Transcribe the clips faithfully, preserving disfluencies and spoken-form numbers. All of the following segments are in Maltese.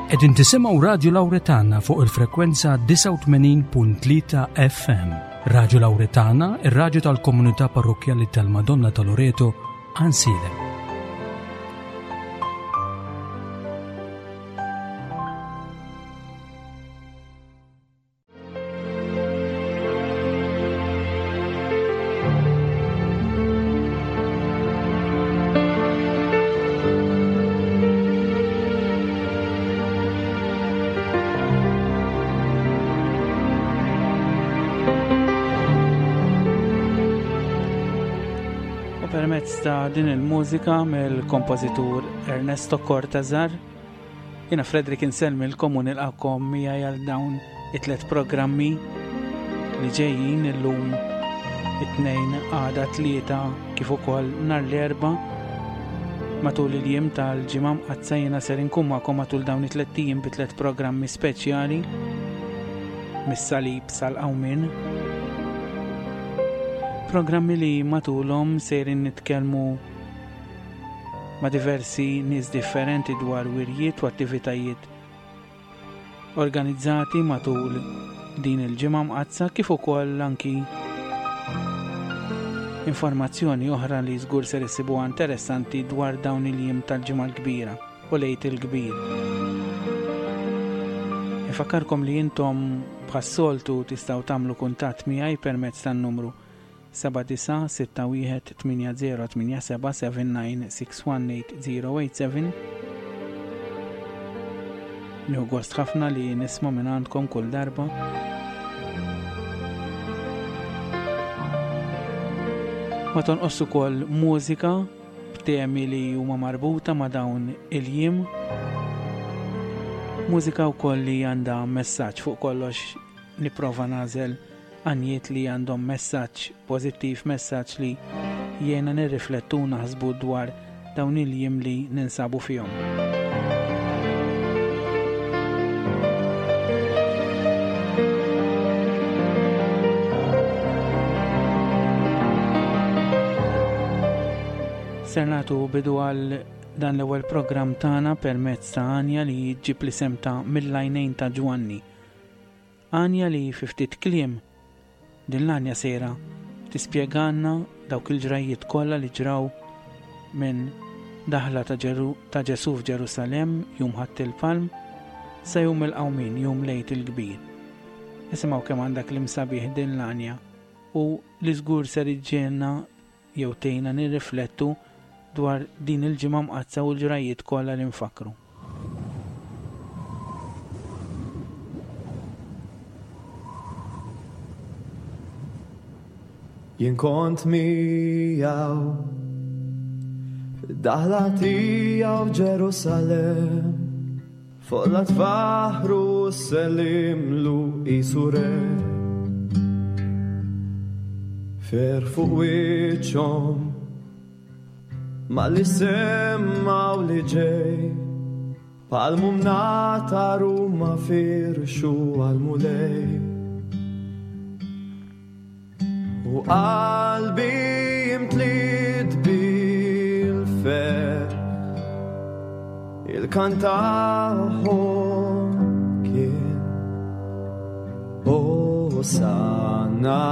Qegħdin tisimgħu Radju Lawretana fuq il-frekwenza disgħa u tmenin punt tlieta F M. Radju Lawretana, ir-radju tal-Komunità Parrokkjali tal-Madonna ta' Loreto, Għajnsielem. Permezz ta' din il-mużika mill-kompożitur Ernesto Cortazar, jiena Frederick insellmilkom u nilqakom miegħi għal dawn it-tliet programmi li ġejjin illum it-tnejn, għada tlieta kif ukoll nhar l-Erbgħa. Matul il-jiem tal-ġimgħa mqaddsa jiena ser inkun magħkom matul dawn it-tliet ijiem bi tliet programmi speċjali mis-salib sal-qawmien. Programmi li matulhom sejrin nitkellmu ma' diversi nies differenti dwar wirjiet u attivitajiet organizzati matul din il-ġimgħa mqaddsa, kif ukoll anki informazzjoni oħra li żgur ser issibuha interessanti dwar dawn il-jiem tal-ġimgħa l-kbira u l-Għid il-Kbir. Infakkarkom li intom bħas-soltu tistgħu tagħmlu kuntatt miegħi permezz tan-numru seba' disa' sitta wieħed tmienja zero tmienja seba' seven nine six one eight zero eight seven. Nieħu gost ħafna li nisma' minn għandkom kull darba. Ma tonqos ukoll mużika b'temi li huma marbuta ma' dawn il-jiem. Mużika wkoll li għandha messaġġ fuq kollox. Nipprova nagħżel għanjiet li għandhom messaġġ pożittiv, messaġġ li jiena nirriflettu naħsbu dwar dawn il-jiem li ninsabu fihom. Ser nagħtu bidu għal dan l-ewwel programm tagħna permezz ta' għanja li ġġib l-isem ta' Mill-Għajnejn ta' Ġwanni. Għanja li fi ftit kliem din l-għanja sejra tispjegalna dawk il-ġrajjiet kollha li ġraw minn daħla ta' Ġeru-, ta' Ġesù f'Ġerusalemm jum Ħadd il-Palm sa jum il-Qawmien, jum l-Għid il-Kbir. Isimgħu kemm għandha kliem sabiħ din l-għanja u li żgur ser iġġielna jew tgħinna nirriflettu dwar din il-ġimgħa mqaddsa u l-ġrajjiet kollha li nfakru. Jien kont miegħu fid-daħla tiegħu f'Ġerusalemm, fuq l-atfaħru sellimlu qisu re. Fer fuq wiċċhom ma li semmaw li ġej, palmu mnatar u ma firxu għal-Mulej. U qalbi imtliet bil-ferħ, il-kantahom kien Hosanna.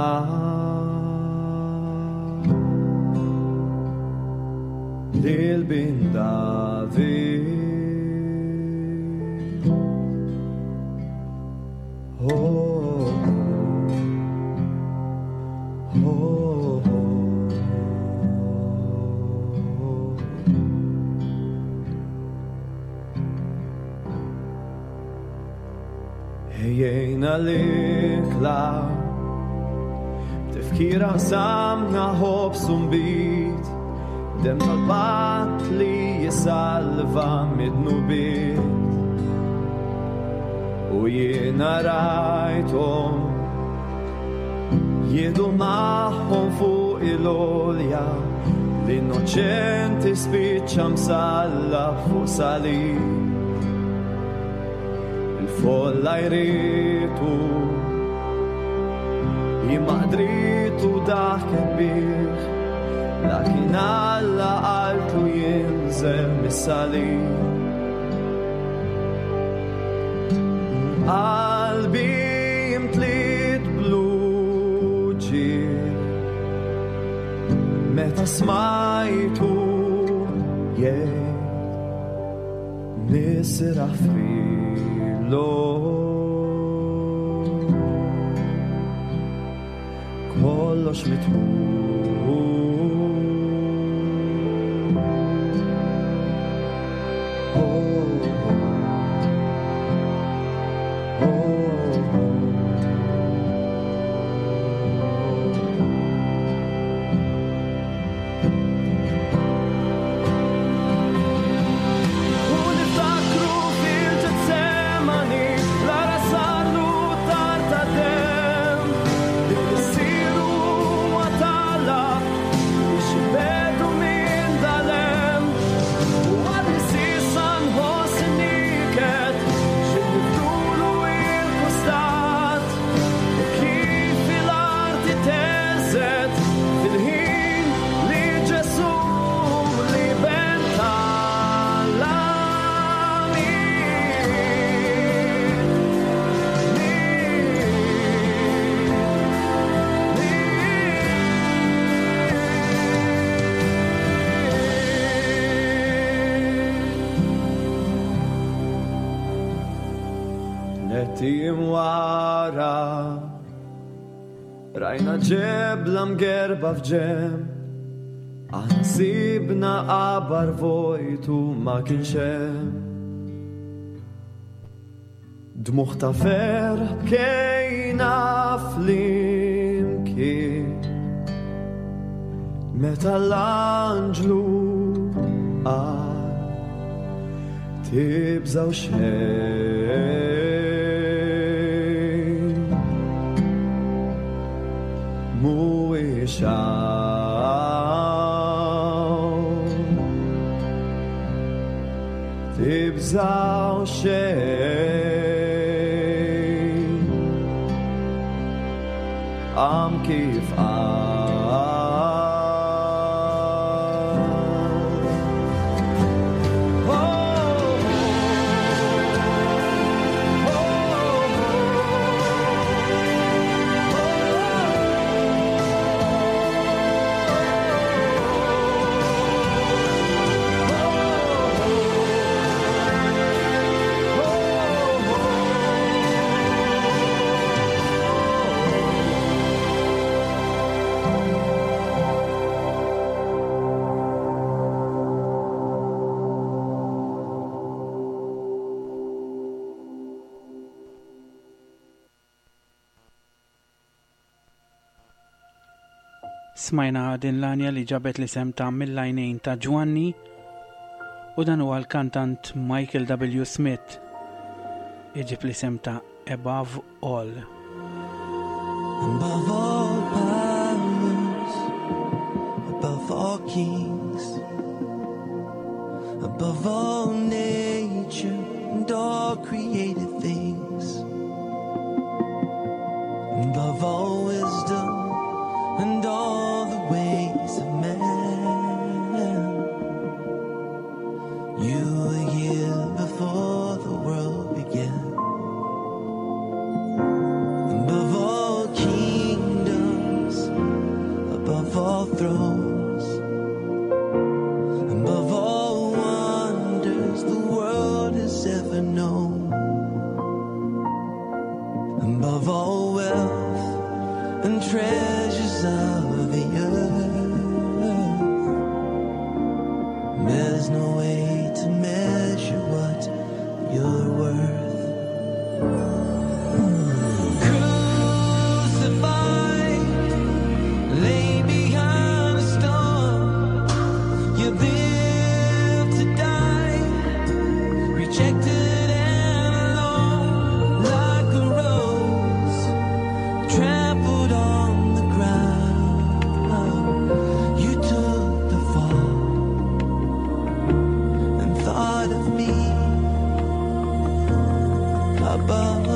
Lil bin David. Oh, oh, oh. Ejjejna l-ikla, b'tifkira qsamna ħobż u nbid, dem tal-patt li jisalva mid-dnubiet. U jiena rajthom jieħdu magħhom fuq il-għolja, l-innoċenti spiċċa msallab fuq salib. Il-folla jritu, imma qdritu daħket bih, lakin Alla qaltlu jinżel mis-salib. Qalbi imtliet bl-uġigħ meta smajtu jgħid nisraħ fil-lok. Kollox mitmum. U niftakru fil-Ġetsemani, l-ara sarlu tar ta' dem, li missieru huwa talab biex ibedu minn dalem. U għadni s'issa nħoss in-niket, x'inniftulu il-kustat, u kif l-arti teżet fil-ħin li Ġesù li ben tal-għamil. Nettim wara rajna ġebla mgerba f'ġemb, aħna sibna qabar vojtu ma kienx hemm. Dmugħ ta' ferħ bkejna flimkien meta l-anġlu qal tibżgħu xejn. Mhuwiex hawn, tibżgħu xejn. Qam kif qal. Smajna din l-għanja li ġabet l-isem ta' Mill-Għajnejn ta' Ġwanni, u dan huwa l-kantant Michael W. Smith iġib l-isem ta' Above All. Above all powers, above all kings, above all nature and all created things, above all wisdom and all the ways of man, you were here before the world began. Above all kingdoms, above all thrones, above all wonders the world has ever known, above all wealth and treasures of the earth, there's no way to measure what you're worth. Crucified, laid behind a stone, you lived to die, rejected and alone, like a rose trampled on the ground. You took the fall and thought of me above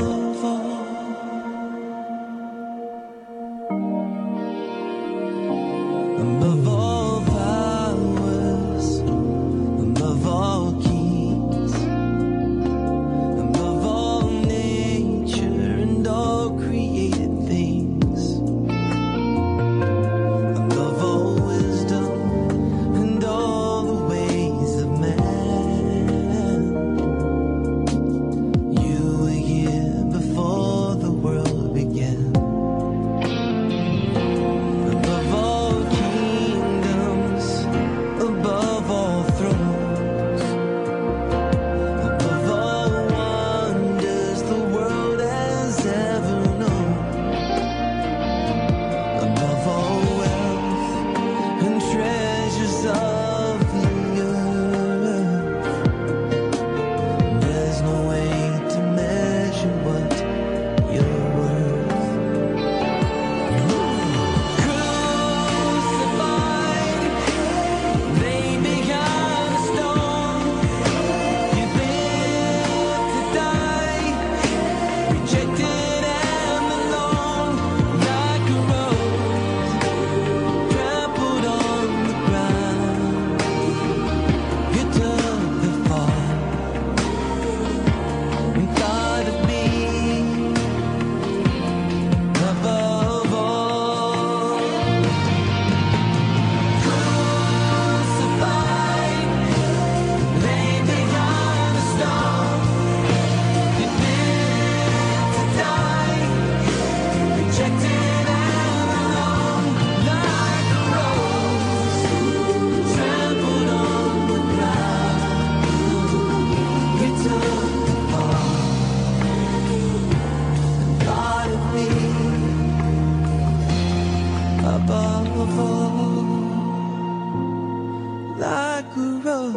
for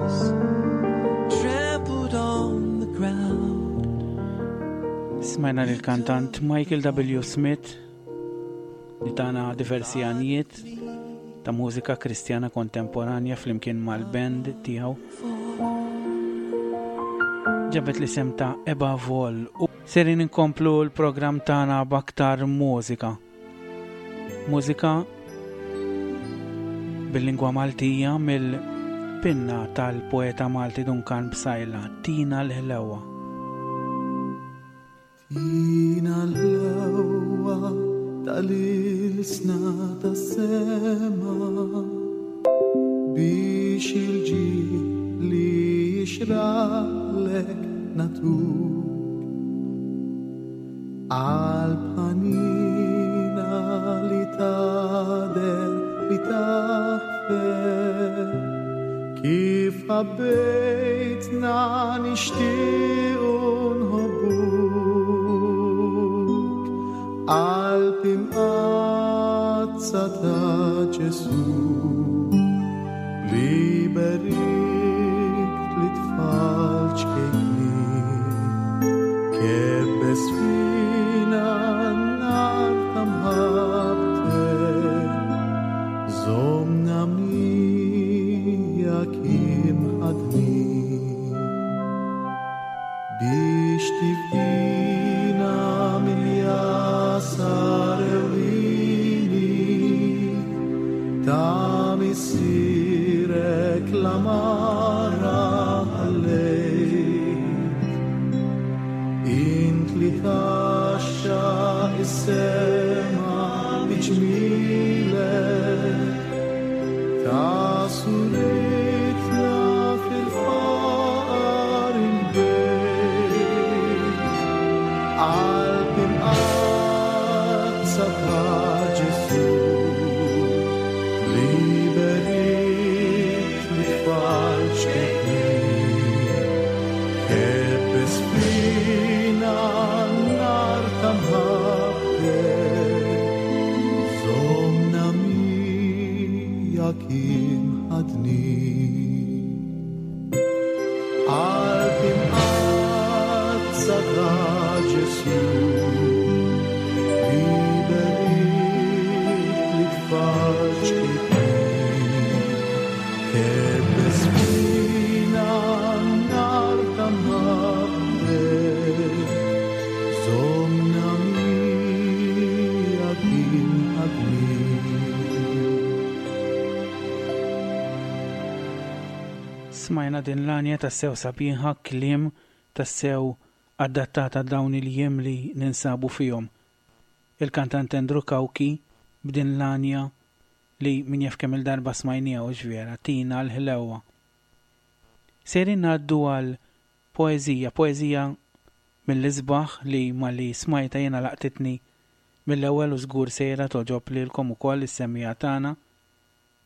us, trampled on the ground. Smajna lil kantant Michael W. Smith li tana diversi għanjiet ta' mużika kristjana kontemporanja flimkien mal-band tiegħu. Ġabet l-isem ta' Above All u serin inkomplu l-programm tagħna b'aktar mużika. Mużika bil-lingwa Maltija mill-pinna tal-poeta Malti Duncan Psaila, Tina l-Ħlewa. Tina l-ħlewa tal-ilsna tas-sema biex il-ġil li jixraqlek natuk qalb ħanina li tagħder li taħfer kif ħabbejtna nixtiequ nħobbuk qalb imqaddsa ta' Ġesù li berikt lit-tfal ċkejknin kebbes fina n-nar ta' mħabbtek żommna miegħek imħaddnin biex tifdina mill-jasar ewlieni ta' missierek l-amara ħallejt int li tgħaxxaq is-sema bi ġmielek ta' suritna fil-faqar il-bejt qalb imqaddsa ta' Ġesù li berikt lit-tfal ċkejknin kebbes fina n-nar ta' mħabbtek żommna miegħek imħaddnin qalb imqaddsa ta' Ġesù li berikt lit-tfal ċkejknin kebbes fina n-nar ta' mħabbtek żommna miegħek imħaddnin. Smajna din l-għanja tassew sabiħa, kliem tassew adattata dawn il-jiem li ninsabu fihom. Il-kantant Andrew Cauchi b'din l-għanja li min jaf kemm il-darba smajnija u ġviera, Tina l-Ħlewa. Sejrin ngħaddu għal poeżija, poeżija mill-isbaħ li malli smajta jiena laqtitni mill-ewwel u żgur sejra toġob lilkom ukoll is-semmiegħa tagħna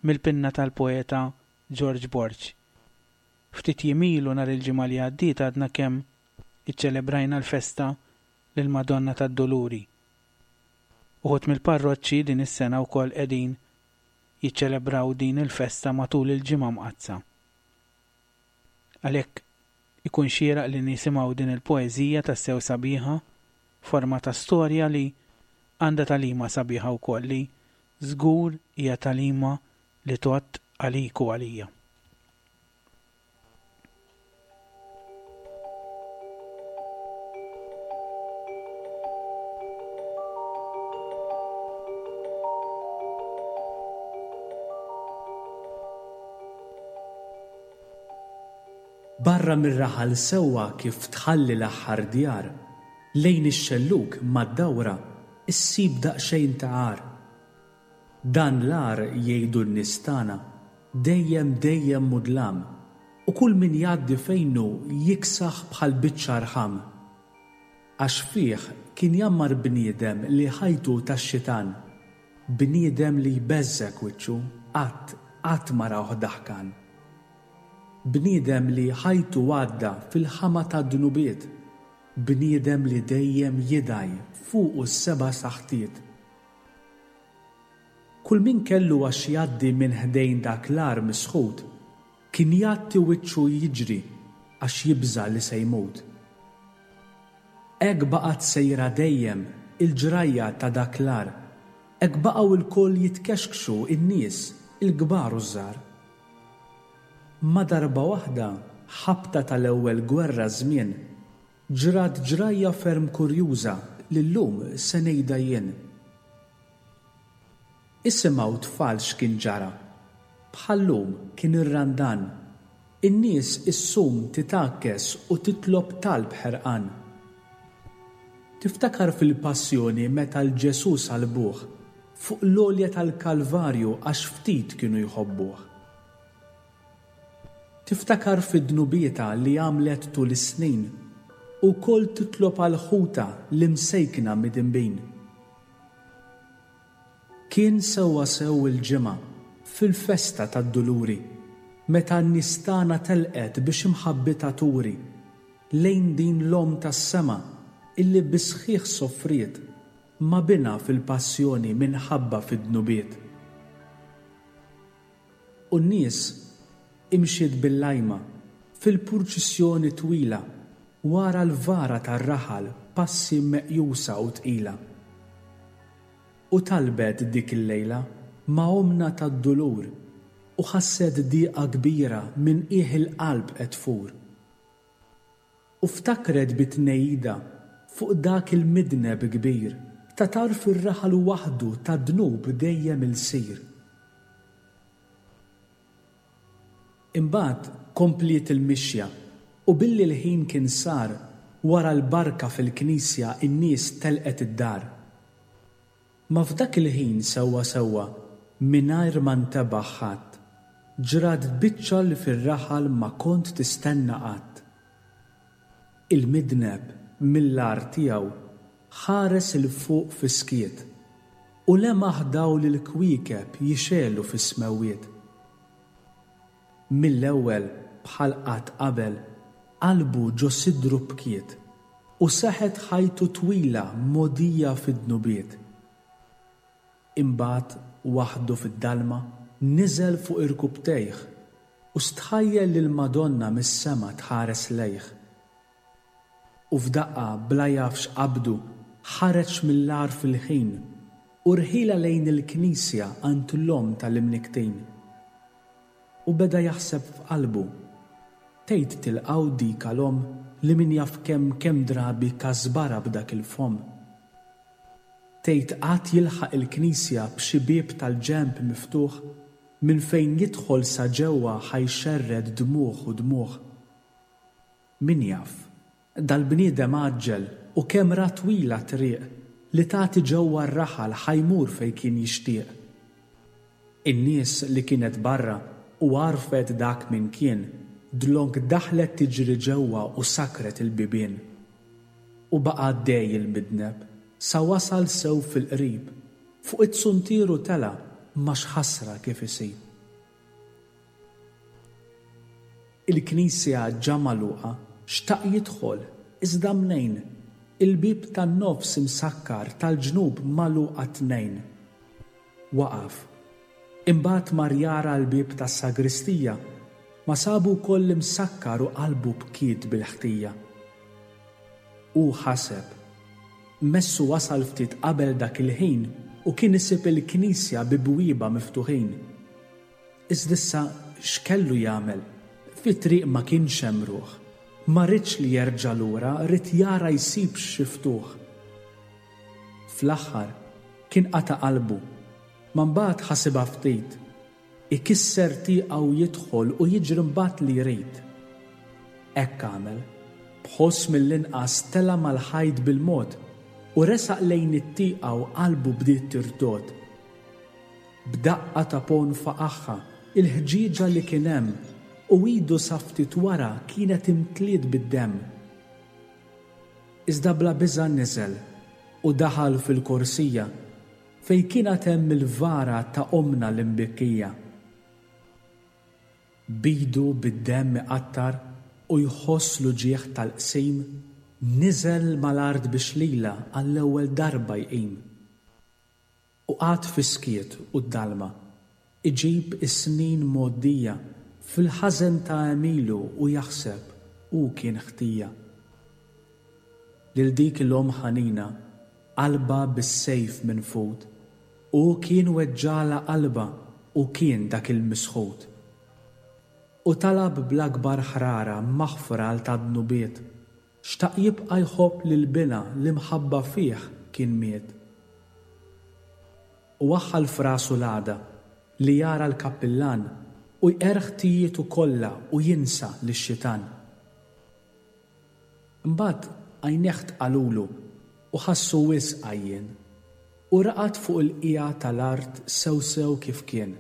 mill-pinna tal-poeta George Borg. Ftit jiem ilu nhar il-ġimgħa li għaddiet għadna kemm iċċelebrajna l-festa lil Madonna tad-Duluri. Uħud mill-parroċċi din is-sena wkoll qegħdin jiċċelebraw din il-festa matul il-ġimgħa mqaddsa. Għalhekk ikun xieraq li nisimgħu din il-poeżija tassew sabiħa, forma ta' storja li għandha tagħlima sabiħa wkoll li żgur hija tagħlima li tgħodd għalik u għalija. Barra mir-raħal sewwa kif tħalli l-aħħar djar, lejn ix-xellug mad-dawra issib daqsxejn ta' għar. Dan l-għar jgħidu n-nies tagħna dejjem dejjem mudlam u kull min jgħaddi fejnu jiksaħ bħal biċċa rħam. Għax fih kien jammar bniedem li ħajtu tax-xitan, bniedem li jbeżżek wiċċu qatt qatt ma rawh daħkan. Bniedem li ħajtu għadda fil-ħama ta' dnubiet, bniedem li dejjem jidaj fuqu s-seba' saħtiet. Kull min kellu għax jgħaddi minn ħdejn dak l-għar misħut, Kien jgħatti wiċċu jiġri għax jibża' li se jmut. Hekk baqgħet sejra dejjem il-ġrajja ta' dak l-għar, hekk baqgħu lkoll jitkexkxu n-nies, il-kbar u ż-żgħar. Ma darba waħda, ħabta tal-ewwel gwerra żmien, ġrat ġrajja ferm kurjuża li llum se ngħidha jien. Isimgħu tfal x'kien ġara. Bħal-lum kien ir-Randan. In-nies issum titgħakkes u titlob talb ħerqan. Tiftakar fil-passjoni meta 'l Ġesù salbuh fuq l-għolja tal-Kalvarju għax ftit kienu jħobbuh. Tiftakar fi dnubietha li għamlet tul is-snin u wkoll titlob għal ħutha l-imsejkna midinbin. Kien sewwasew il-Ġimgħa fil-festa tad-Duluri meta n-nies tagħna telqet biex imħabbitha turi lejn din l-Omm tas-sema illi bis-sħiħ soffriet ma' binha fil-passjoni minħabba fid-dnubiet. U n-nies imxiet bil-lajma fil-purċissjoni twila wara l-vara tar-raħal passi meqjusa u tqila. U talbet dik il-lejla ma' Ommna tad-Dulur u ħasset diqa kbira minn qiegħ il-qalb qed tfur. U ftakret bi tnehida fuq dak il-midneb kbir ta' tarf ir-raħal waħdu tad-dnub dejjem ilsir. Imbagħad kompliet il-mixja u billi l-ħin kien sar wara l-barka fil-knisja n-nies telqet id-dar. Ma f'dak il-ħin sewwa sewwa mingħajr ma ntebaħ ħadd, ġrat biċċa li fir-raħal ma kont tistenna qatt. Il-midneb mill-għar tiegħu ħares 'il fuq fis-skiet u lemaħ dawl il-kwiekeb jixegħlu fis-smewwiet. Mill-ewwel bħal qatt qabel qalbu ġo sidru bkiet u seħet ħajtu twila mogħdija fid-dnubiet. Imbagħad waħdu fid-dalma niżel fuq irkubtejh u stħajjel lill-Madonna mis-sema tħares lejh. U f'daqqa bla jaf x'qabdu ħareġ mill-għar fil-ħin u rħila lejn il-knisja għand l-Omm tal-Imnikktin. U beda jaħseb f'qalbu, tgħid tilqgħu dik għal-omm li min jaf kemm kemm drabi kasbara b'dak il-fomm. Tgħid qatt jilħaq il-knisja b'xi bieb tal-ġenb miftuħ minn fejn jidħol sa ġewwa ħa jxerred dmugħ u dmugħ. Min jaf, dal-bniedem għaġġel u kemm ra twila triq li tagħti ġewwa r-raħal ħa jmur fejn kien jixtieq. In-nies li kienet barra u għarfet dak min kien, dlonk daħlet tiġri ġewwa u sakret il-bibien. U baqa' għaddej il-midneb sa wasal sew fil-qrib, fuq it-suntieru tela' ma x'ħasra kif isib. Il-knisja ġa magħluqa, xtaq jidħol, iżda mnejn, il-bieb tan-nofs imsakkar tal-ġnub magħluqa tnejn. Waqaf. Imbagħad mar jara l-bieb tas-sagristija, ma sabu wkoll imsakkar u qalbu bkiet bil-ħtija. Hu ħaseb, messu wasal ftit qabel dak il-ħin u kien isib il-knisja bi bwiebha miftuħin. Iżda issa x'kellu jagħmel? Fit-triq ma kienx hemm ruħ. Ma ridx li jerġa' lura, ried jara jsibx xi ftuħ. Fl-aħħar kien qata' qalbu, ma mbagħad ħasibha ftit. Ikisser tieqa u jidħol u jiġri mbagħad li jrid. Hekk għamel. B'ħoss mill-inqas tela' mal-ħajt bil-mod u resaq lejn it-tieqa u qalbu bdiet tirtod. B'daqqa ta' ponn faqagħha il-ħġieġa li kien hemm u idu sa ftit wara kienet imtliet bid-demm. Iżda bla biża' niżel u daħal fil-korsija fejn kien għad hemm il-vara ta' Ommna l-imbikkija. B'idu bid-demm iqattar u jħoss l-uġigħ tal-qsim, niżel mal-art biex lilha għall-ewwel darba jqim. U qagħad fis-skiet u d-dalma, iġib is-snin mgħoddija Fil-ħażen ta' għemilu u jaħseb hu kien ħtija. Lil dik l-omm ħanina, qalbha bis-sejf minfud, hu kien weġġagħlha qalbha u kien dak il-misħut. U talab bl-akbar ħrara maħfra għal ta' dnubiet, xtaq jibqa' jħobb lil binha li mħabba fih kien miet. U waħħal f'rasu l-għada li jara l-kappillan u jqerr ħtijietu kollha u jinsa lix-xitan. Imbagħad għajnejh tqalulu u ħassu wisq għajjien u raqad fuq il-qiegħa tal-art sew sew kif kien.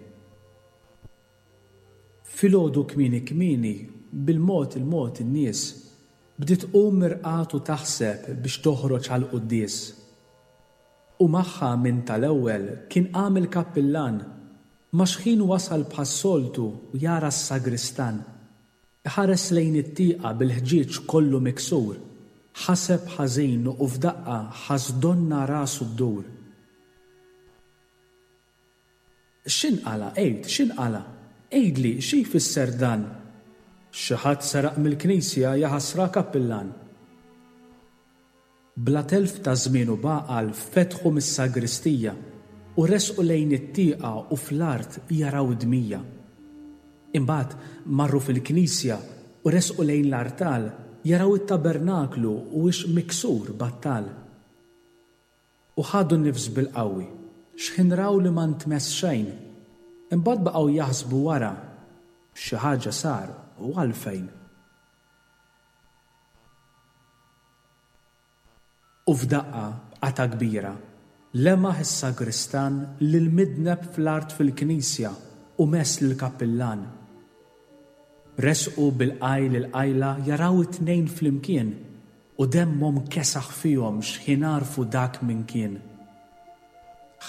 Filgħodu kmieni kmieni, bil-mod il-mod in-nies bdiet tqum mirqad u taħseb biex toħroġ għall-quddies. U magħha minn tal-ewwel kien qam il-kappillan, ma xħin wasal bħas-soltu u jara s-sagristan. Iħares lejn it-tieqa bil-ħġieġ kollu miksur, ħaseb ħażin u f'daqqa ħass donna rasu ddur. X'inqala', għid, x'inqala'? Għidli, xi jfisser dan? Xi ħadd seraq mill-knisja jaħasra kappillan. Bla telf ta' żmien u baqal fetħu mis-sagristija u resqu lejn it-tieqa u fl-art jaraw id-dmija. Imbagħad marru fil-knisja u resqu lejn l-artal jaraw it-tabernaklu u ix miksur battal. U ħadu nifs bil-qawwi, xħin raw li ma ntmess xejn, imbagħad baqgħu jaħsbu wara xi ħaġa sar u għalfejn. U f'daqqa b'qata kbira, lemaħ is-sagristan lil midneb fl-art fil-knisja u mess lill-kappillan. Resqu bil-qajl il-qajla jaraw it-tnejn flimkien u demmhom kesaħ fihom xħin għarfu dak min kien.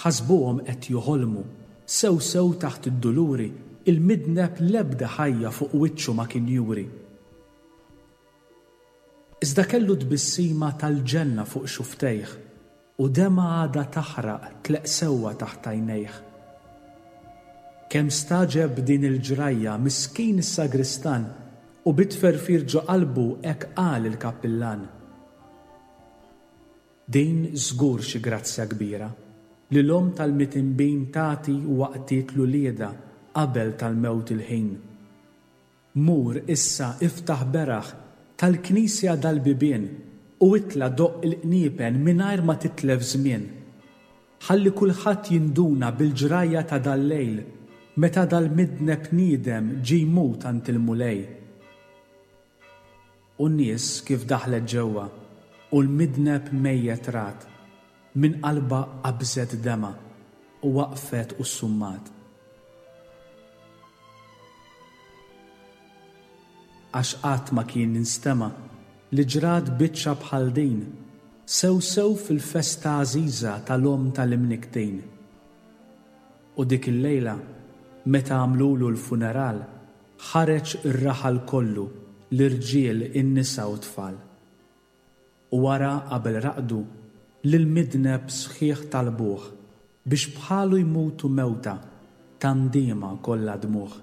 Ħasbuhom qed joħolmu, sew sew taħt id-duluri, il-midneb l-ebda ħajja fuq wiċċu ma kien juri. Iżda kellu tbissima tal-ġenna fuq xuftejh u dema għadha taħraq tleq sewwa taħt għajnejh. Kemm staġeb din il-ġrajja miskin is-sagristan u bitferfir ġo qalbu hekk qal il-kappillan. Din żgur xi grazzja kbira li l-omm tal-mitinbin tagħti waqtiet l-ulieda qabel tal-mewt il-ħin. Mur issa iftaħ beraħ tal-knisja dal-bibien u itla doqq il-qniepen mingħajr ma titlef żmien. Ħalli kulħadd jinduna bil-ġrajja ta' dal-lejl meta dal-midneb niedem ġie jmut għand il-Mulej. U n-nies kif daħlet ġewwa u l-midneb mejjet rat, minn qalbha qabżet dema u waqfet u ssummat. Għax qatt ma kien instema' li ġrat biċċa bħal din, sew sew fil-festa għażiża tal-omm tal-imniktin. U dik il-lejla, meta għamlulu l-funeral, ħareġ ir-raħal kollu, l-irġiel, in-nisa u t-tfal. U wara qabel raqdu, lil-midneb sħiħ talbuh biex bħalu jmutu mewta ta' ndiema kollha dmugħ.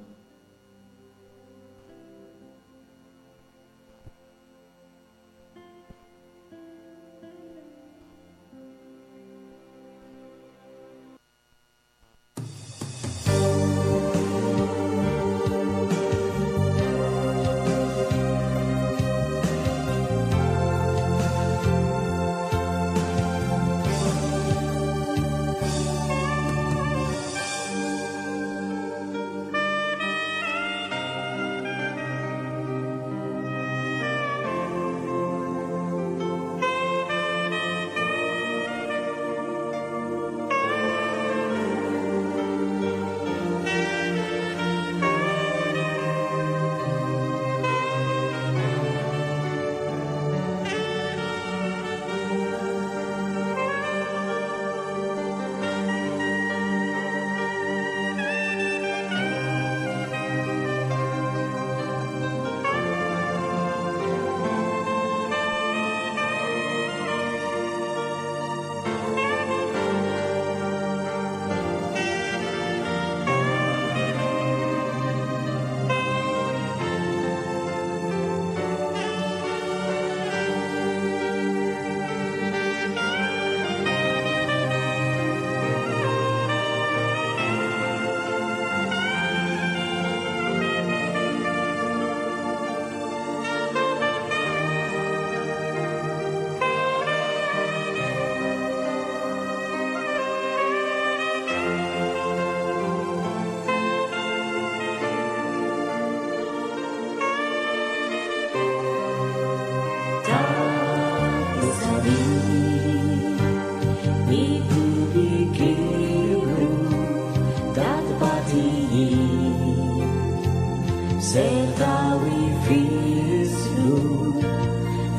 Setgħu jfissru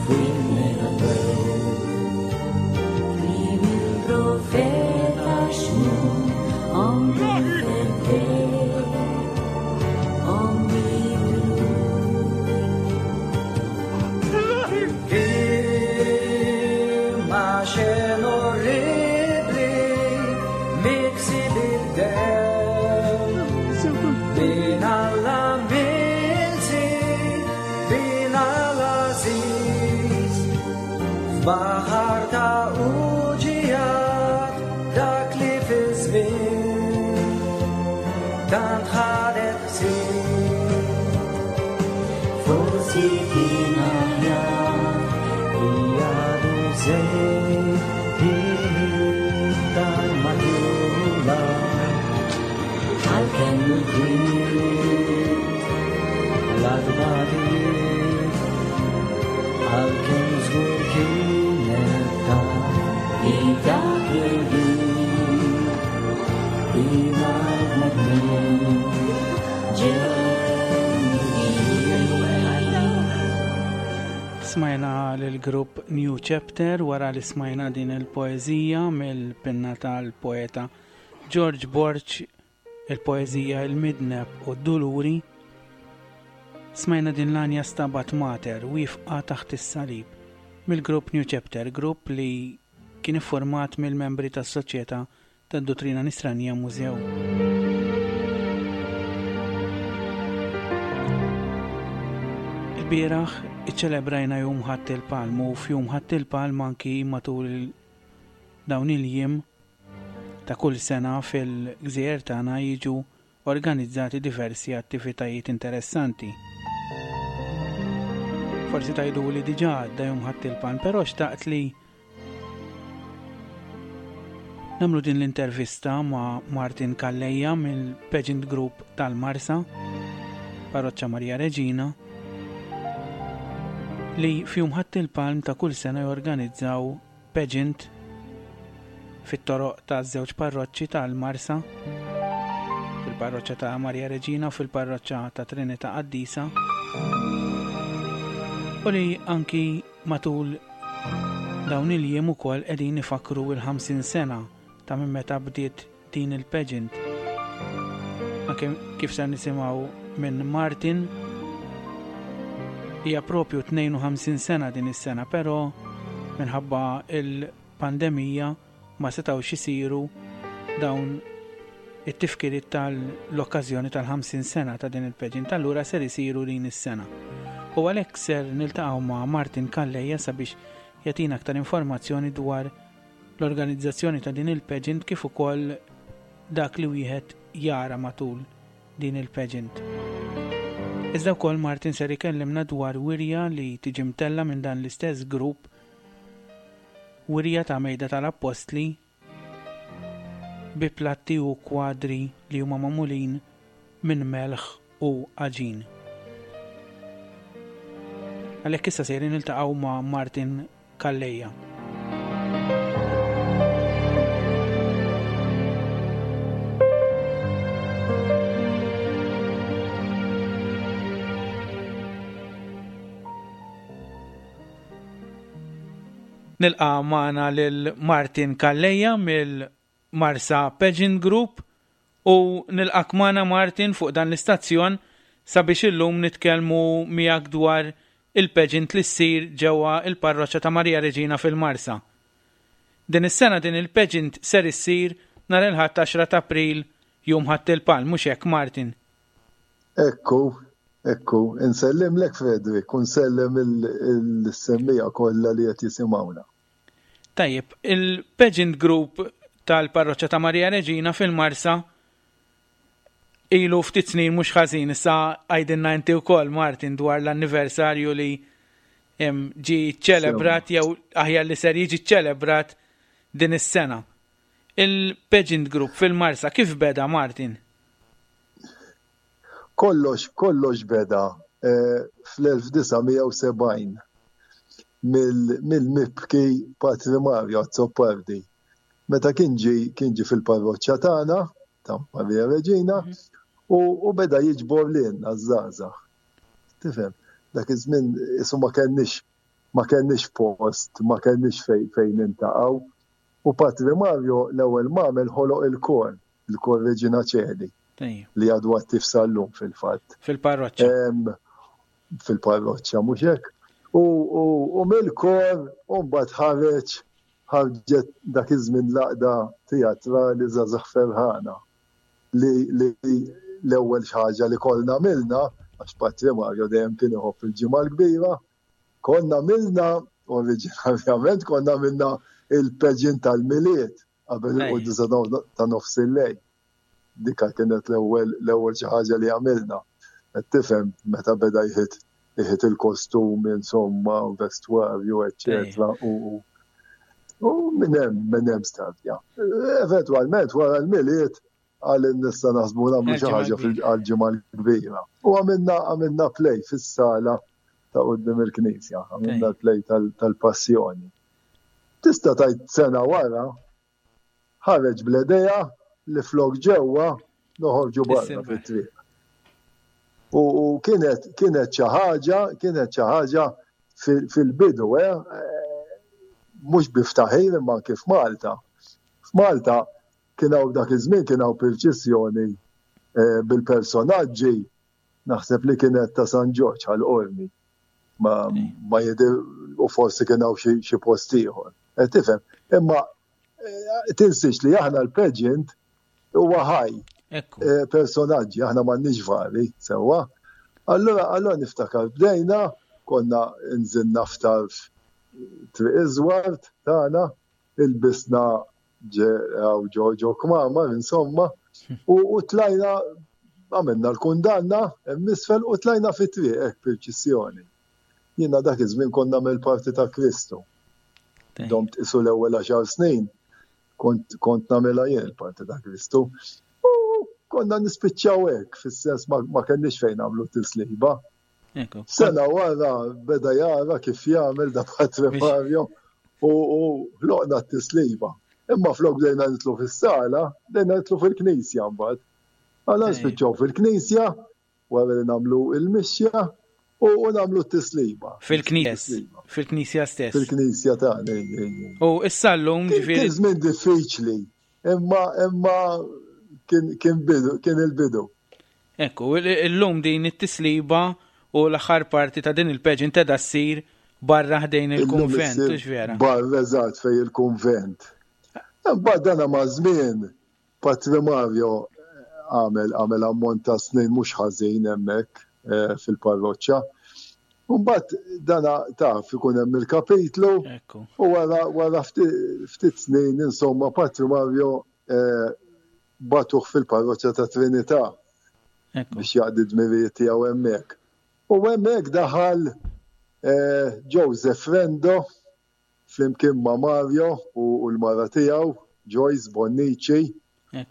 f'wieħed Kliem il-profeta Xmun, omm il-Feddej, omm id-dulur. Imma xen orribli miksi bid-dem Bin Alla milsi, bin Alla aziz F'baħar ta' uġijat dak li fi żmien tant ħadet ħsieb. Forsi kien aħjar Li għadu żejt iktar matula għalkemm il-kwiet l-adbatijiet għalkemm żgur kienet taf li dak il-ħin il-bnedmin ġew. Smajna l-grupp New Chapter wara li smajna din il-poeżija mill-pinna tal-poeta George Borg, il-poeżija Il-Midneb u d-Duluri. Smajna din l-għanja Stabat Mater wifqa taħt is-salib mill-grupp New Chapter, grupp li kien iffurmat mill-membri tas-Soċjetà tad-Dottrina Nisranija Mużew. Il-bieraħ iċċelebrajna Jum Ħadd il-Palm u f'Jum Ħadd il-Palm anki matul il- dawn il-jiem ta' kull sena fil-gżejjer tagħna jiġu organizzati diversi attivitajiet interessanti. Forsi tajdu li diġà għadda Jum Ħadd il-Palm, però xtaqt li nagħmlu din l-intervista ma' Martin Calleja mill-Pageant Group tal-Marsa, Parroċċa Maria Reġina, li f'Jum Ħadd il-Palm ta' kull sena jorganizzaw pageant fit-toroq ta' żewġ parroċċi tal-Marsa, fil-parroċċa ta' Maria Reġina u fil-parroċċa ta' Trinità Qaddisa, u li anki matul dawn il-jiem ukoll qegħdin ifakru l-ħamsin sena ta' minn meta bdiet din il-pageant. Anke kif se nisimgħu minn Martin, hija propju tnejn u ħamsin sena din is-sena, però minħabba il-pandemija ma setgħux isiru dawn it-tifkiriet tal-okkażjoni tal-ħamsin sena ta' din il-pageant, allura ser isiru din is-sena. U għalhekk ser niltaqgħu ma' Martin Calleja sabiex jagħtina aktar informazzjoni dwar l-organizzazzjoni ta' din il-pageant kif ukoll dak li wieħed jara matul din il-pageant. Iżda wkoll Martin ser ikellimna dwar wirja li tiġi mtella minn dan l-istess grupp, wirja ta' Mejda tal-Appostli bi platti u kwadri li huma magħmulin minn melħ u għaġin. Għalhekk issa sejrin niltaqgħu ma' Martin Calleja. Nilqa' magħna lil Martin Calleja mill-Marsa Pageant Group u nilqak magħna Martin fuq dan l-istazzjon sabiex illum nitkellmu miegħek dwar il-pageant li ssir ġewwa il-parroċċa ta' Maria Reġina fil-Marsa. Din is-sena din il-pageant ser issir nhar il-Ħadd għaxra ta' April, Jum Ħadd il-Palm, mhux hekk Martin? Ekku, ekku, insellimlek Frederick, u nsellem il-semmija kollha li qed jisimgħuna. Tajjeb, il-Pageant Group tal-Parroċċa ta' Maria Reġina fil-Marsa ilu ftit snin mhux ħażin, issa għajdilna inti wkoll Martin dwar l-anniversarju li em, ġi ċelebrat jew aħjar li ser jiġi ċelebrat din is-sena. Il-Pageant Group fil-Marsa kif beda Martin? Kollox, kollox beda, eh, fl-elf disa' mija u sebgħin mill-, mill-mibki Patri Mario Azzopardi. Meta kien ġi, kien ġi fil-parroċċa tagħna ta' Maria Reġina Mhm. u, u beda jiġbor lilna żgħażagħ. Tifhem, dak iż-żmien isu ma kenniex ma kenniex post, ma kenniex fejn fejn niltaqgħu. U Patri Mario l-ewwel m'għamel ħoloq il-kor, il-kor Reġina Ċeli, li għadu attiv sal-lum fil-fatt. Fil-parroċċa. Fil-parroċċa, mhux hekk. U, u, u mill-kor u mbagħad ħareġ ħarġet dak iż-żmien l-għaqda teatrali Żgħażagħ Ferħana li, li l-ewwel xi ħaġa li konna għamilna, għax Patri Mario dejjem kien iħobb il-Ġimgħa l-Kbira, konna għamilna, oriġinarjament konna għamilna il-pageant tal-Milied qabel il-quddiesa ta' nofs il-lejl. Dika kienet l-ewwel l-ewwel xi ħaġa li għamilna. Qed tifhem meta beda jħit jħit il-kostumi, insomma, vestwarju, eċċetera. U u minn hemm minn hemm stadja. Eventwalment wara l-Milied għal nista' naħsbu nagħmlu xi ħaġa għall-Ġimgħa l-Kbira. U għamilna għamilna play fis-sala ta' quddiem il-Knisja, għamilna play tal-Passjoni. Tista' tgħid sena wara ħareġ bl-idea li flok ġewwa noħorġu barra fit-triq. U kienet kienet xi ħaġa, kienet xi ħaġa fil-bidu, eh, mhux bi ftaħir imma kif Malta. F'Malta kien hawn dak iż-żmien kien hawn purċissjoni eh, bil-personaġġi naħseb li kienet ta' San Ġorġ għal Qormi. Ma, ma jidir u forsi kien hawn xi post ieħor. Eh, tifhem, imma eh, tinsiex li aħna l-pageant huwa ħaj. Personaġġi, aħna m'għandniex vari, sewwa. Allora, allora niftakar bdejna, konna nżilna f'tarf Triq Iżwart tagħna, ilbisna ġo ġo kmamar, insomma, u tlajna għamilna l-kundanna hemm isfel u tlajna fit-triq hekk purċissjoni. Jiena dak iż-żmien konna mill-parti ta' Kristu. Domt isu l-ewwel għaxar snin kont kont nagħmilha jien il-parti ta' Kristu. U konna nispiċċaw hekk, fis-sens ma, ma kenniex fejn nagħmlu tisliba. Sena wara beda jara kif jagħmel da Patri Mario u ħloqna t-tisliba. Imma flok bdejna nitlu fis-sala, bdejna nitlu fil-knisja mbagħad. Għala nispiċċaw fil-knisja, wara li nagħmlu il-mixja u nagħmlu t-tisliba. Fil-knisja, fil-knisja stess. Fil-knisja tagħna. U issa llum ġifieri. Kien żmien diffiċli, imma imma kien kien bidu, kien il-bidu. Ekku, illum din it-tisliba u l-aħħar parti ta' din il-pageant qegħda ssir barra ħdejn il-kunvent, hux vera? Barra eżatt fej il-kunvent. Imbagħad dana ma' żmien Patri Mario għamel għamel ammont ta' snin mhux ħażin hemmhekk eh, fil-parroċċa. Mbagħad dana taf ikun hemm il-kapitlu u wara wara ftit snin insomma Patri Mario eh, bagħtuh fil-parroċċa ta' Trinità biex jaqdi dmirijiet tiegħu hemmhekk. U hemmhekk daħal eh, Joseph Rendo flimkien ma' Mario u l-mara tiegħu Joyce Bonnici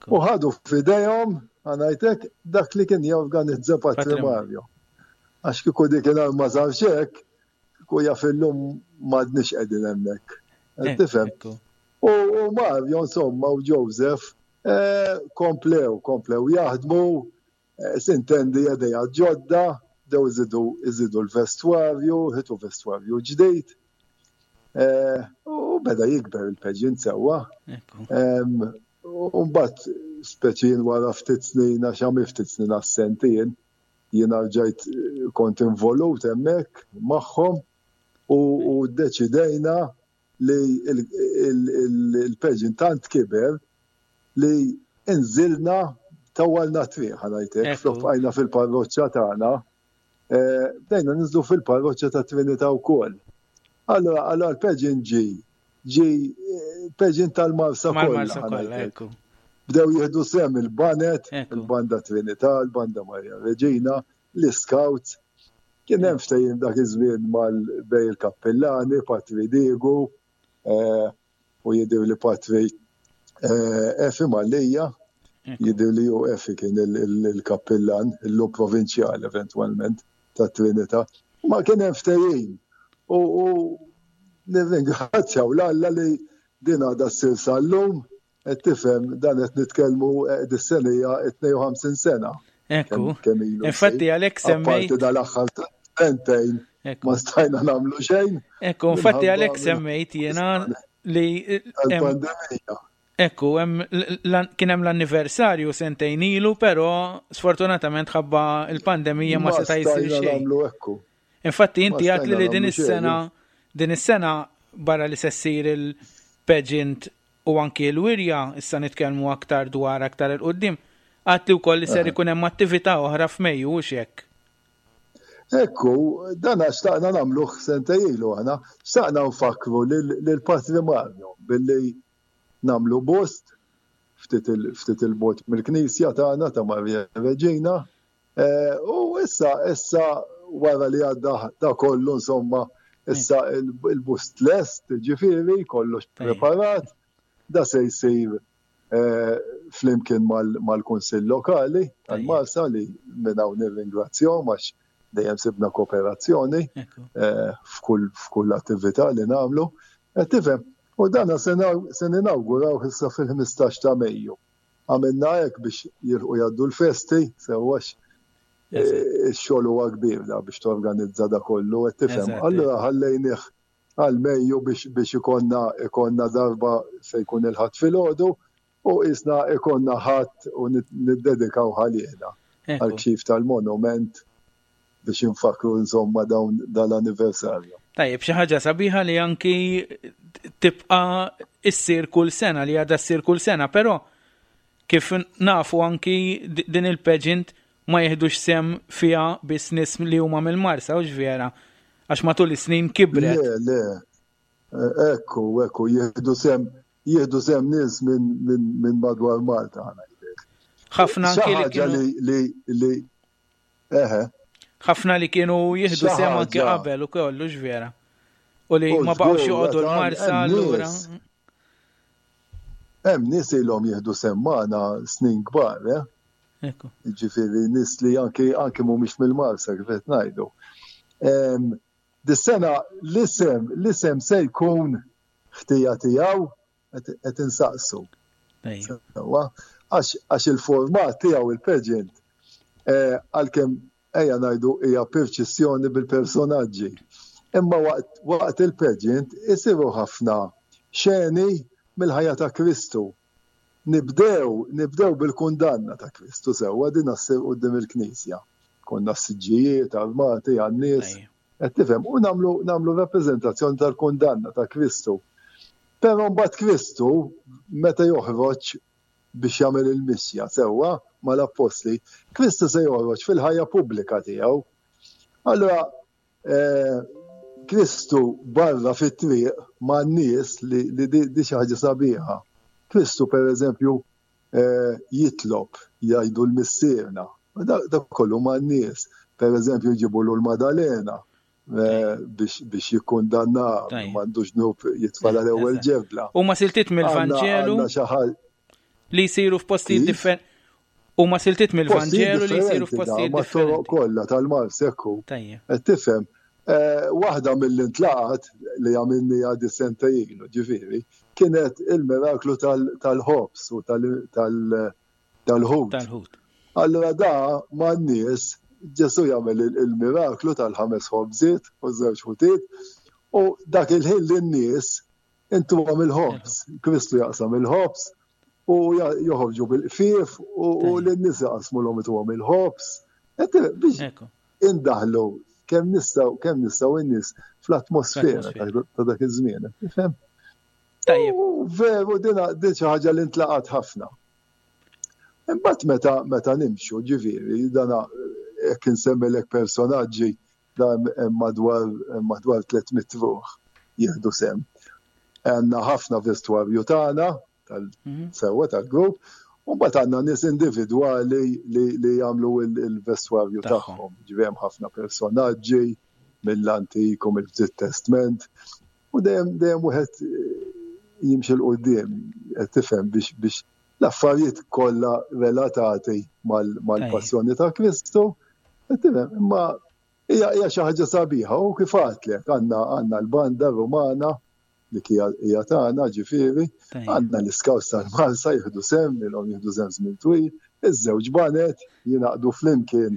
u ħadu f'idejhom ħa ngħidlek dak li kien jorganizza Patri Mario. Għax kieku dik ma sarx hekk, kieku jaf illum m'għadniex qegħdin hemmhekk. Tifhem? U Mario insomma u Joseph eh, komplew, komplew jaħdmu, eh, sintendi idea ġodda, bdew iżidu iżidu l-vestwarju, ħitu vestwarju ġdid. Eh, u beda jikber il-pageant sewwa. U mbagħad speċi jien wara ftit snin għax għamil ftit snin assenti jien, jiena rġajt kont involut hemmhekk magħhom u ddeċidejna li il-pageant tant kiber li nżilna tawwalna triq ħa ngħidlek, flok bqajna fil-parroċċa tagħna, eh, bdejna ninżlu fil-parroċċa ta' Trinità wkoll. Allora, allora l-pageant ġi, ġi pageant tal-Marsa kollha. Bdew jieħdu sehem il-baned, il-banda Trinità, il-banda Maria Regina, l-Scouts. Kien hemm ftehim dak iż-żmien mal-bej il-kappillani, Patri Diegu, eh, u jidher li Patri eh, Efi Mallia, jidher li ju Efi kien il-kappillan, illum provinċjal eventwalment ta' Trinità. Ma kien hemm ftehim. U nirringrazzjaw l-Alla li din għadha ssir sal-lum, qed tifhem dan qed nitkellmu eh, dis-sena hija tnejn u ħamsin sena. Ekku. Infatti għalhekk semmejt. Apparti dal-aħħar Sentejn ma stajna nagħmlu xejn. Ekku, infatti għalhekk semmejt jiena li pandemija. Ekku, kien hemm l-anniversarju sentejn ilu, però sfortunatament ħabba il-pandemija ma seta' jsir xejn. Infatti inti għedt li din is-sena din is-sena barra li se ssir il-pageant u anki l-wirja, issa nitkellmu aktar dwar aktar 'il quddiem, għedt li wkoll li ser ikun hemm attività oħra f'Mejju u hekk. Ekku, dan xtaqna nagħmluh sentejn ilu aħna, xtaqna nfakru lil Patri Mario billi nagħmlu bust ftit 'il bogħod mill-knisja tagħna ta' Marija Reġina. Eh, u issa issa wara li għadda da kollu, insomma, issa il-bust lest, ġifieri, kollox preparat, da se jsir eh, flimkien mal-Kunsill Lokali tal-Marsa li minn hawn nirringrazzjahom għax dejjem sibna kooperazzjoni eh, f'kull attività li nagħmlu. Tifhem, u dana se ninawguraw issa fil-ħmistax ta' Mejju. Għamilna hekk biex jilħqu jgħaddu l-festi, sewwax eh, ix-xogħol huwa kbir da biex torganizza da kollu, qed tifhem. Allura ħallejnih għal Mejju biex biex ikonna ikonna darba se jkun il-Ħadd filgħodu u isna ikonna Ħadd u niddedikaw għalina għal-kxif tal-monument biex infakru, insomma, dawn dal-anniversarju. Tajjeb, xi ħaġa sabiħa li anki tibqa' issir kull sena, li għadha ssir kull sena, però kif nafu anki din il-pageant ma jiħdux sehem fiha biss nies li huma mill-Marsa, u vera, għax matul is-snin kibret. Le, le. Ekku, ekku, jieħdu sehem jieħdu sehem nies minn min, min madwar Malta. Ħafna anki li kienu li li eħe. Ħafna li kienu jieħdu sehem anki qabel u kollu, vera. U li ma baqgħux joqogħdu l-Marsa allura. Hemm nies ilhom jieħdu sehem magħna snin kbar, eh? Ġifieri nies li anki anki mhumiex mill-Marsa, kif qed ngħidu. Dis-sena l-isem l-isem se jkun "Ħtija Tiegħu", qed insaqsu. Għax il-format tiegħu il-pageant, eh, għalkemm ejja ngħidu hija purċissjoni bil-personaġġi. Imma waqt, waqt il-pageant isiru ħafna xeni mill-ħajja ta' Kristu. Nibdew, nibdew bil-kundanna ta' Kristu, sewwa, din ssir quddiem il-Knisja. Konna siġġijiet armati għan-nies. Qed tifhem, u nagħmlu nagħmlu rappreżentazzjoni tal-kundanna ta' Kristu. Però mbagħad Kristu meta joħroġ biex jagħmel il-mixja sewwa mal-appostli, Kristu se joħroġ fil-ħajja pubblika tiegħu. Allura eh, Kristu barra fit-triq ma' nies li, li di, di xi ħaġa sabiħa. Kristu, per eżempju, eh, jitlob, jgħidu l-Missierna. Da, da kollu ma' nies. Per eżempju, jġibu l-Madalena eh, biex, biex jikkundanna, m'għandux dnub jitfa' l-ewwel ġebla. U ma siltiet mill-Vanġelu li jsiru f'postijiet differenti. U ma siltiet mill-Vanġelu li jsiru f'postijiet differenti. Kollha tal-Marsa, ekku. Qed tifhem, eh, waħda mill-intlaqat li għamilni għadi sentejn ilu, ġifieri, kienet il-miraklu tal-ħobż u tal-ħut. Allura da ma' nies Ġesu jagħmel il-miraklu tal-ħames ħobżiet u żewġ ħutiet u dak il-ħin lin-nies intuhom il-ħobż. Kristu jaqsam il-ħobż u joħorġu bil-qfief u lin-nies jaqsmulhom, ituhom il-ħobż. Biex indaħlu kemm nistgħu kemm nistgħu in-nies fl-atmosfera ta' dak iż-żmien. Tifhem? Tajjeb. Veru, dina din xi ħaġa li ntlaqat ħafna. Imbagħad meta meta nimxu, ġifieri, dana jekk insemmilek personaġġi, dan madwar madwar tliet mitt ruħ jieħdu sehem. Għandna ħafna vestwarju tagħna tal-sewwa tal-grupp, u mbagħad għandna nies individwali li, li jagħmlu il-vestwarju tagħhom. Ġifieri hemm ħafna personaġġi mill-Antik u mill-Ġdid Testament u dejjem dejjem wieħed jimxi 'l quddiem, qed tifhem, biex biex l-affarijiet kollha relatati mal-passjoni ta' Kristu, qed tifhem, imma hija hija xi ħaġa sabiħa u kif għedtlek għandna għandna l-banda Rumana li hija tagħna, ġifieri, għandna l-Scouts tal-Marsa jieħdu sehem, ilhom jieħdu sehem żmien twil, iż-żewġ baned jingħaqdu flimkien.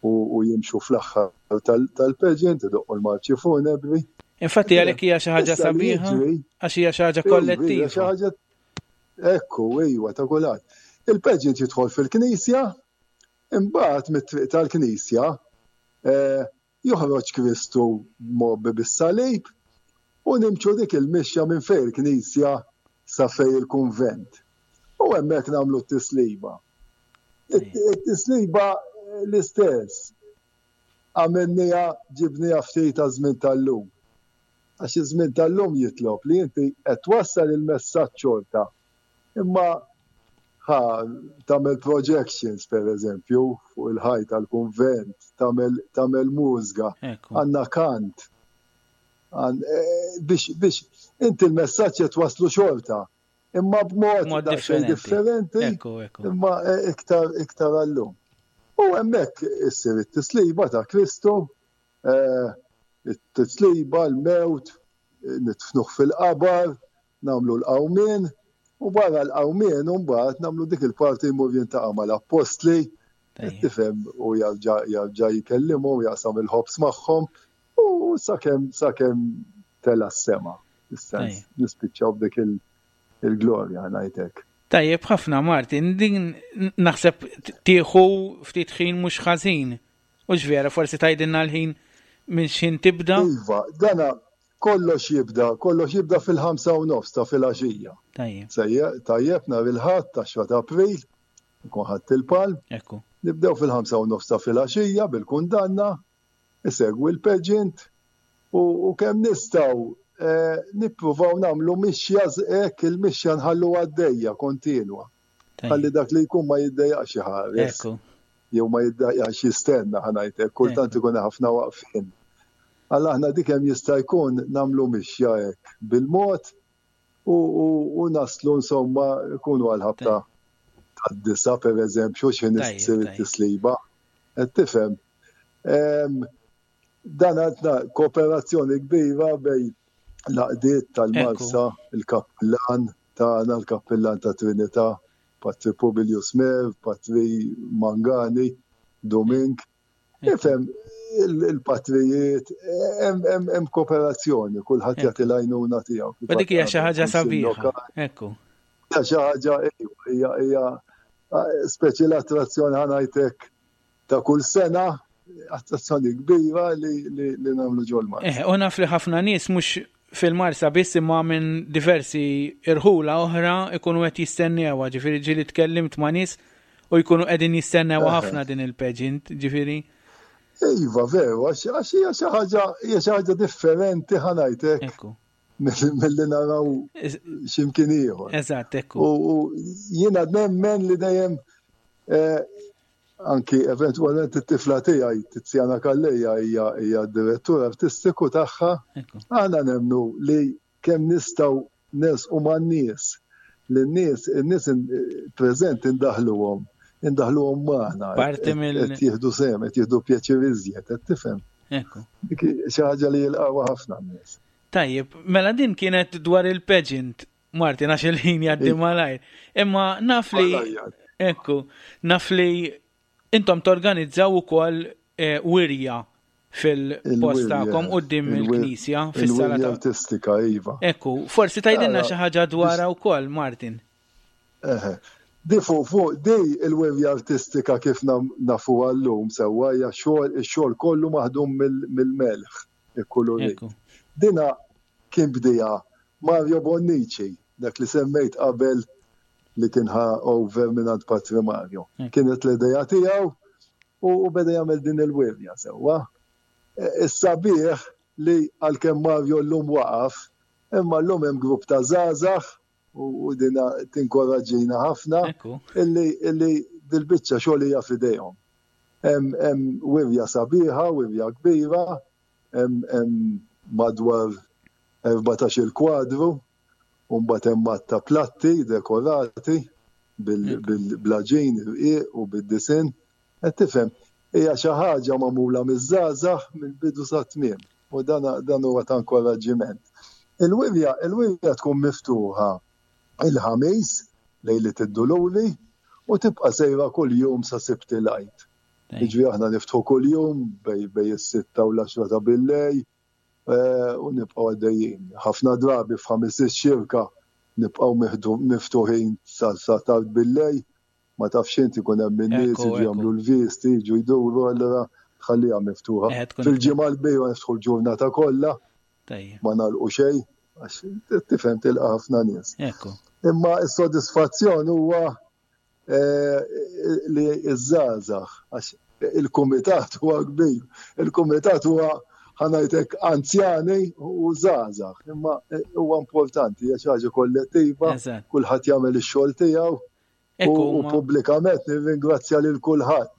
u jimxu fl-aħħar tal-pageant, idoqqu l-marċi funebri. Infatti għalhekk hija xi ħaġa sabiħa, għax hija xi ħaġa kollettiva. Ekku, iwa, ta' kulħadd. Il-pageant jidħol fil-knisja, imbagħad mit-triq tal-knisja eh, joħroġ Kristu mgħobbi bis-salib u nimxu dik il-mixja minn fejn il-knisja sa fejn il-kunvent. U hemmhekk nagħmlu t-tisliba. It-tisliba l-istess. Għamilniha, ġibniha ftit ta' żmien tal-lum. Għax iż-żmien tal-lum jitlob li inti qed twassal il-messaġġ xorta. Imma ħa tagħmel projections per eżempju fuq il-ħajt tal-kunvent, tagħmel mużika, għandna kant. Eh, biex biex inti l-messaġġ qed waslu xorta. Imma b'mod differenti, imma eh, iktar iktar għallum. U hemmhekk issir it-tisliba ta' Kristu, eh, it-tisliba, l-mewt, nitfnuh fil-qabar, nagħmlu l-qawmien, u barra l-qawmien mbagħad nagħmlu dik il-parti jmur jintaqa' mal-appostli, tifhem u jarġa' jarġa' jkellimhom, jaqsam il-ħobż magħhom u sakemm sakemm tela' s-sema. Is-sens nispiċċaw b'dik il-glorja ngħidlek. Tajjeb ħafna Martin, din naħseb tieħu ftit ħin mhux ħażin. U vera, forsi tgħidilna l-ħin minn x'ħin tibda? Iva, dana kollox jibda, kollox jibda fil-ħamsa u nofs ta' filgħaxija. Tajjeb. Tajjeb nhar il-Ħadd għaxra ta' April, nkun ħadd il-palm. Ekku. Nibdew fil-ħamsa u nofs ta' filgħaxija bil-kundanna, isegwi l-pageant u, u kemm nistgħu eh, nippruvaw nagħmlu mixja hekk il-mixja nħallu għaddejja kontinwa. Ħalli dak li jkun ma jiddejjaqx iħares. Ekku. Jew ma jiddejjaqx jistenna ħa ngħidlek, kultant ikun ħafna waqfin. Alla aħna dik hemm jista' jkun nagħmlu mixja hekk bil-mod u, u, u naslu insomma jkunu għal-ħabta tad-disa per eżempju x'ħin issir it-tisliba. Qed tifhem. Dan għandna kooperazzjoni kbira bejn l-għaqdiet tal-Marsa, il-kappillan tagħna, il-kappillan ta' Trinità, Patri Publius Mer, Patri Mangani, Domink. Ifhem, il-patrijiet, hemm kooperazzjoni, kulħadd jagħti l-għajnuna tiegħu. U dik hija xi ħaġa sabiħa. Ekku. Hija xi ħaġa hija hija speċi l-attrazzjoni ħa ngħidlek ta' kull sena, attrazzjoni kbira li, li, li nagħmlu ġol-Marsa. Eh, u naf li ħafna nies mhux fil-Marsa biss imma minn diversi irħula oħra ikunu qed jistennewha, ġifieri ġieli tkellimt ma' nies u jkunu qegħdin jistennew ħafna din il-pageant, ġifieri. Iva, veru, għax hija xi ħaġa hija xi ħaġa differenti ħa ngħidlek milli naraw x'imkien ieħor. Eżatt, ekku. U jiena nemmen li dejjem eh, anki eventwalment it-tifla tiegħi Tiziana Calleja hija hija d-direttur artistiku tagħha. Aħna nemmnu li kemm nistgħu nersqu man-nies, li n-nies in-nies preżenti indaħluhom, indaħluhom magħna. Parti mill Qed jieħdu sehem, qed jieħdu pjaċir iżjed, qed tifhem. Ekku. Dik xi ħaġa li jilqgħuha ħafna n-nies. Tajjeb, mela din kienet dwar il-pageant, Martin, għax il-ħin jgħaddi malajr. Imma naf li ekku, naf li intom torganizzaw ukoll eh, wirja fil-post tagħkom quddiem il-knisja fis-sala ta' artistika, iva. Ekku, forsi tgħidilna xi ħaġa dwarha wkoll, Martin. Eħe. Di fuq fuq di il-wirja artistika kif nafu għallum sewwa hija xogħol ix-xogħol kollu maħdum mill-melħ ikkulurit. Dina kien bdija Mario Bonnici, dak li semmejt qabel li kien ħa over minn Patri Mario. Kienet l-idea tiegħu u beda jagħmel din il-wirja sewwa. Is-sabiħ li għalkemm Mario llum waqaf, imma llum hemm grupp ta' żgħażagħ u dina tinkoraġġina ħafna illi illi dil-biċċa xogħol hija f'idejhom. Hemm wirja sabiħa, wirja kbira, hemm madwar erbatax-il kwadru, u mbagħad hemm ta' platti dekorati bil-blaġin irqiq u bid-disinn. Qed tifhem, hija xi ħaġa magħmula miż-żgħażagħ mill-bidu sat-tmiem u dan dan huwa ta' inkoraġġiment. Il-wirja il-wirja tkun miftuħa il-Ħamis lejliet id-Duluri u tibqa' sejra kuljum sa Sibt il-Għid. Jiġifieri aħna niftħu kuljum bejn bejn is-sitta u l-għaxra ta' billejl u nibqgħu għaddejjin. Ħafna drabi f'Ħamis ix-Xirka nibqgħu miftuħin sa tard billejl, ma tafx inti jkun hemm in-nies jiġu jagħmlu l-visti, jiġu jduru, allura tħalliha miftuħa. Fil-Ġimgħa l-Kbira niftħu l-ġurnata kollha, ma nagħlqu xejn, għax tifhem tilqa' ħafna nies. Imma s-sodisfazzjon huwa li ż-żgħażagħ, għax il-kumitat huwa kbir, il-kumitat huwa ħanajtek anzjani u żgħażagħ, imma huwa importanti, hija xi ħaġa kollettiva, kulħadd jagħmel ix-xogħol tiegħu u pubblikament nirringrazzja lil kulħadd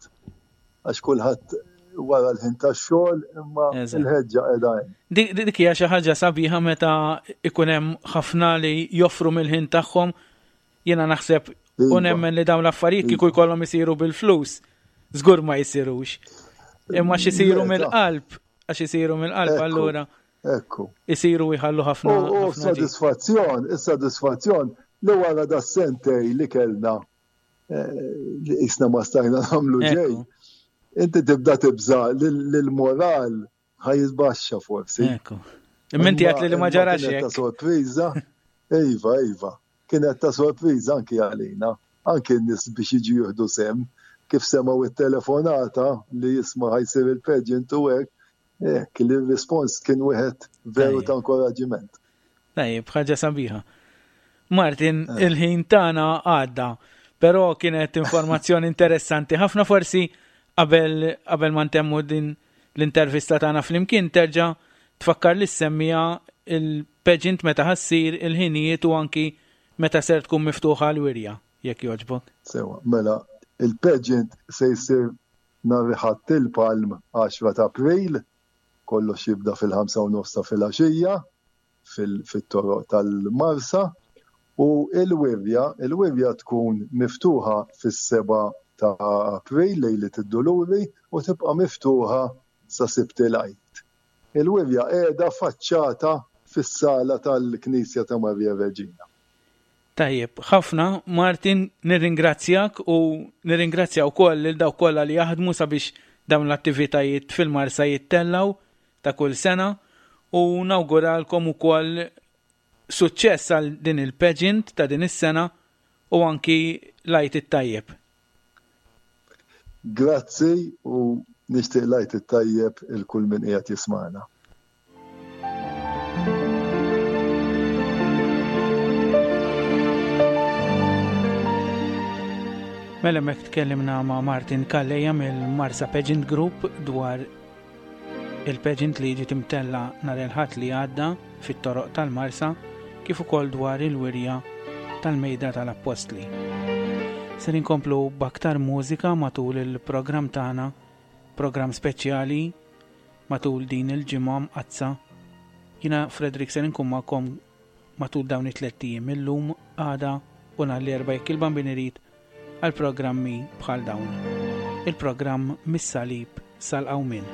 għax kulħadd wara l-ħin tax-xogħol imma l-ħeġġa qiegħda hemm. Dik hija xi ħaġa sabiħa meta ikun hemm ħafna li joffru mill-ħin tagħhom. Jiena naħseb u nemmen li dawn l-affarijiet kieku jkollhom isiru bil-flus, żgur ma jsirux. Imma x'isiru mill-qalb, għax isiru mill-qalb allura. Ekku. Isiru jħallu ħafna. U sodisfazzjon, is-sodisfazzjon li wara da sentej li kellna li isna ma stajna nagħmlu ġej. Inti tibda tibża lil moral ħa jitbaxxa forsi. Ekku. Imma inti għedt li ma ġarax hekk. Kienet ta' sorpriża. Iva, iva. Kienet ta' sorpriża anki għalina. Anki n-nies biex jiġu jieħdu sehem, kif semgħu it-telefonata li jisma' ħa jsir il-pageant u hekk, hekk li r-rispons kien wieħed veru ta' inkoraġġiment. Tajjeb, ħaġa sabiħa. Martin, il-ħin tagħna għadda, però kienet informazzjoni interessanti ħafna. Forsi qabel qabel ma ntemmu din l-intervista tagħna flimkien terġa' tfakkar lis-semmiegħa il-pageant meta ħa ssir, il-ħinijiet u anki meta ser tkun miftuħa l-wirja, jekk jogħġbok. Sewa, mela, il-pageant se jsir nhar Ħadd il-Palm għaxra ta' April, kollox jibda fil-ħamsa u nofs ta' filgħaxija fit-toroq tal-Marsa, u il-wirja, il-wirja tkun miftuħa fis-seba' ta' April, lejlet id-Duluri, u tibqa' miftuħa sa Sibt il-Għid. Il-wirja qiegħda faċċata fis-sala tal-Knisja ta' Marija Reġina. Tajjeb, ħafna, Martin, nirringrazzjak u nirringrazzja wkoll lil dawk kollha li jaħdmu sabiex dawn l-attivitajiet fil-Marsa jittellgħu ta' kull sena, u nawguralkom ukoll suċċess għal din il-pageant ta' din is-sena u anki l-Għid it-tajjeb. Grazzi u nixtieq l-Għid it-tajjeb il kull min qiegħed jismagħna. Mela hemmhekk tkellimna ma' Martin Calleja mill-Marsa Pageant Group dwar il-pageant li ġiet imtella nhar il-Ħadd li għadda fit-toroq tal-Marsa, kif ukoll dwar il-wirja tal-Mejda tal-Appostli. Ser inkomplu b'aktar mużika matul il-programm tagħna, programm speċjali matul din il-ġimgħa mqaddsa. Jiena Frederick ser inkun magħkom matul dawn it-tliet ijiem, illum, għada u nhar l-Erbgħa jekk il-Bambin irid, għal programmi bħal dawn. Il-programm Mis-Salib sal-Qawmien.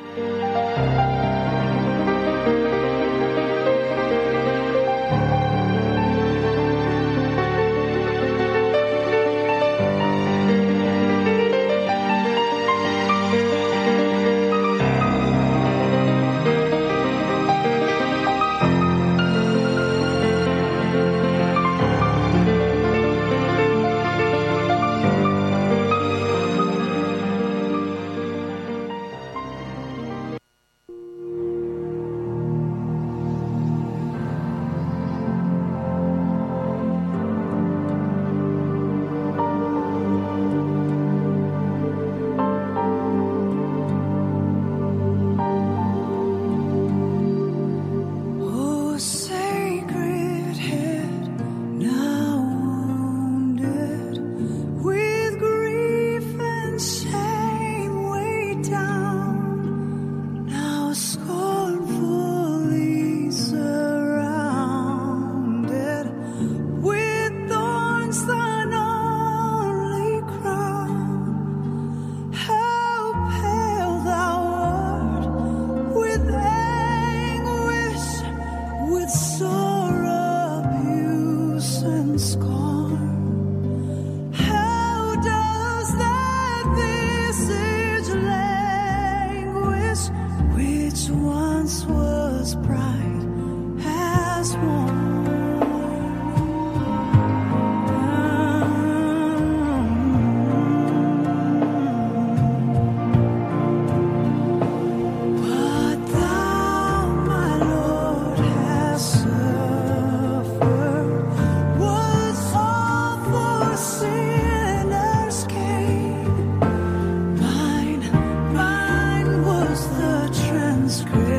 Oh, sacred head, now wounded, with grief and shame weighed down, now scornfully surrounded, with thorns thine only crown. How pale thou art with anguish, with sore abuse and scorn. How does that visage Once was bright has worn. What thou, my Lord, hast suffered was all for sinners' gain. Mine, mine was the transgression,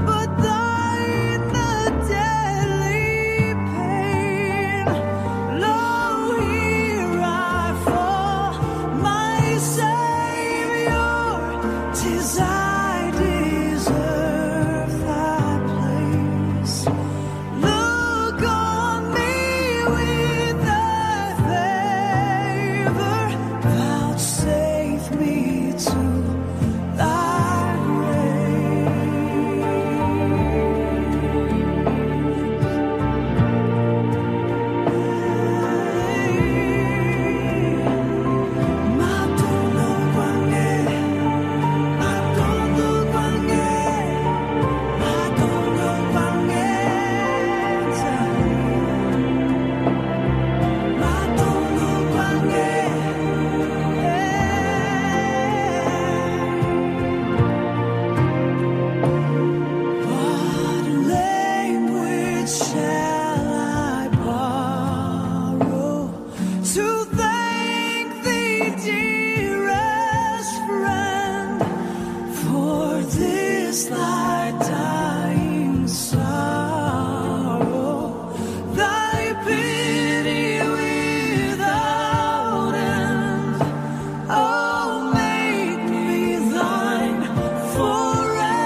but thine the deadly pain. Lo, here I fall, my Savior, 'tis I deserve thy place. Look on me with thy favor, vouchsafe me to thy grace. Matondo kwange, matondo kwange, matondo kwange, matondo kwange. What language shall I borrow to thank thee, dearest friend, for this thy dying sorrow, thy pity without end? Oh, make me thine forever,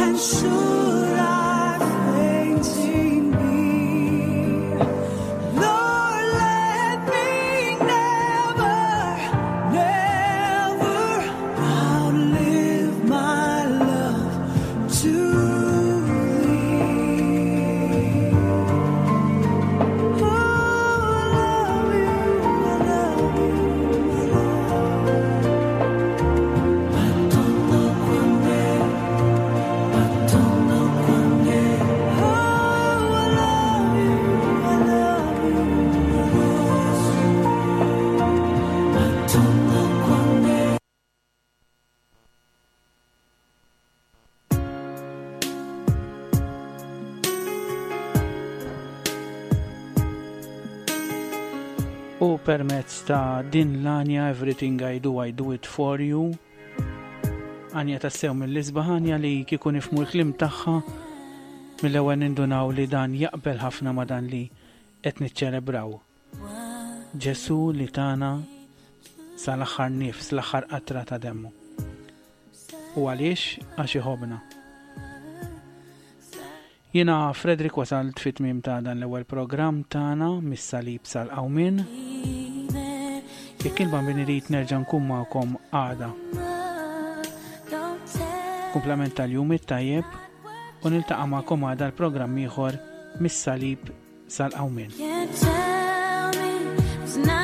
and should I fainting be, Lord, let me never, never outlive my love to thee. Oh, I love you, I love you, I love you. Matondo kwange, matondo kwange. Oh, I love you, I love you, I love you. Matondo kwange. U permezz ta' din l-għanja Everything I Do, I Do It For You. Għanja tassew mill-isbaħ, għanja li kieku nifhmu l-kliem tagħha mill-ewwel nindunaw li dan jaqbel ħafna ma' dan li qed niċċelebraw. Ġesu li tana sal-aħħar nifs, l-aħħar qatra ta' demmu. U għaliex? Għax iħobna. Jiena Frederick wasalt fit-tmiem ta' dan l-ewwel programm tagħna mis-salib sal-qawmien. Jekk il-Bambin irid nerġa' nkun magħkom għada. Kumplament tal-jum it-tajjeb u niltaqa' magħkom għada l-programm ieħor mis-salib sal-qawmien. Can't tell me it's not